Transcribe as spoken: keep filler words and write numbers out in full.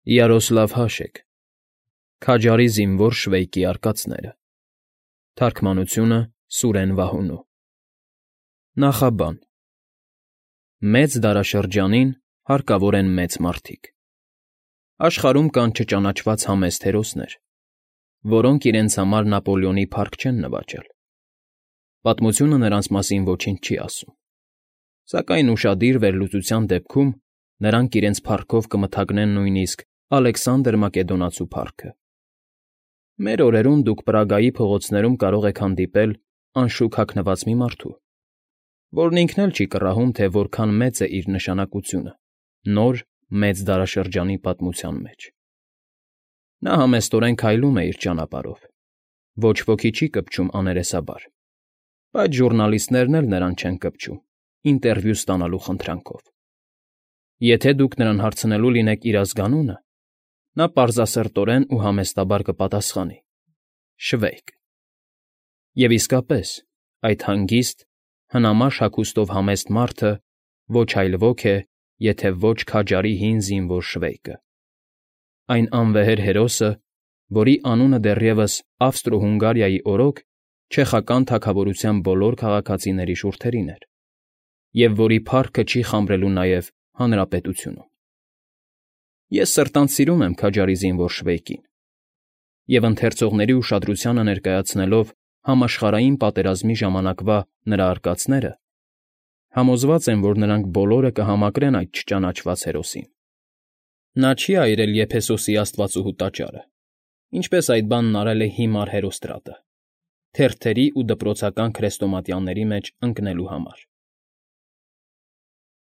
Յարոսլավ Հաշեկ Քաջարի զինվոր Շվեյկի արկածները Թարգմանությունը Սուրեն Վահունու Նախաբան Մեծ դարաշրջանին հարկավոր են մեծ մարդիկ։ Աշխարհում կան չճանաչված համեստ հերոսներ, որոնք իրենց համար Նապոլեոնի փառք չեն նվաճել։ Պատմությունը նրանց մասին ոչինչ չի ասում, սակայն ուշադիր վերլուծության դեպքում նրանք իրենց փառքով կմթագնեն նույնիսկ Ալեքսանդր Մակեդոնացու փառքը։ Մեր օրերում դուք Պրագայի փողոցներում կարող եք հանդիպել անշուք հագնված մի մարդու, որն ինքն էլ չի կռահում, թե որքան մեծ է իր նշանակությունը նոր, մեծ դարաշրջանի պատմության մեջ։ Նա համեստորեն քայլում է իր ճանապարհով, ոչ ոքի չի կպչում աներեսաբար, բայց ժուռնալիստներն էլ նրան չեն կպչում ինտերվյու ստանալու խնդրանքով։ Եթե դուք նրան հարցնելու լինեք իր ազգանունը, նա պարզասրտորեն ու համեստաբար կպատասխանի. շվեյկ։ Եվ իսկապես, այդ հանգիստ, հնամաշ հագուստով համեստ մարդը ոչ այլ ոք է, եթե ոչ Քաջարի հին զինվոր Շվեյկը, այն անվեհեր հերոսը, որի անունը դեռևս Ավստրո֊Հունգարիայի օրոք չեխական թագավորության բոլոր քաղաքացիների շուրթերին էր, և որի փառքը չի խամրելու նաև հանրապետությունում։ Ես սրտանց սիրում եմ Քաջարի զինվոր Շվեյկին, և ընթերցողների ուշադրությանը ներկայացնելով համաշխարհային պատերազմի ժամանակվա նրա արկածները, համոզված եմ, որ նրանք բոլորը կհամակրեն այդ չճանաչված հերոսին։ Նա չի այրել Եփեսոսի աստվածուհու տաճարը, ինչպես այդ բանն արել է հիմար Հերոստրատը, թերթերի ու դպրոցական քրեստոմատյանների մեջ ընկնելու համար։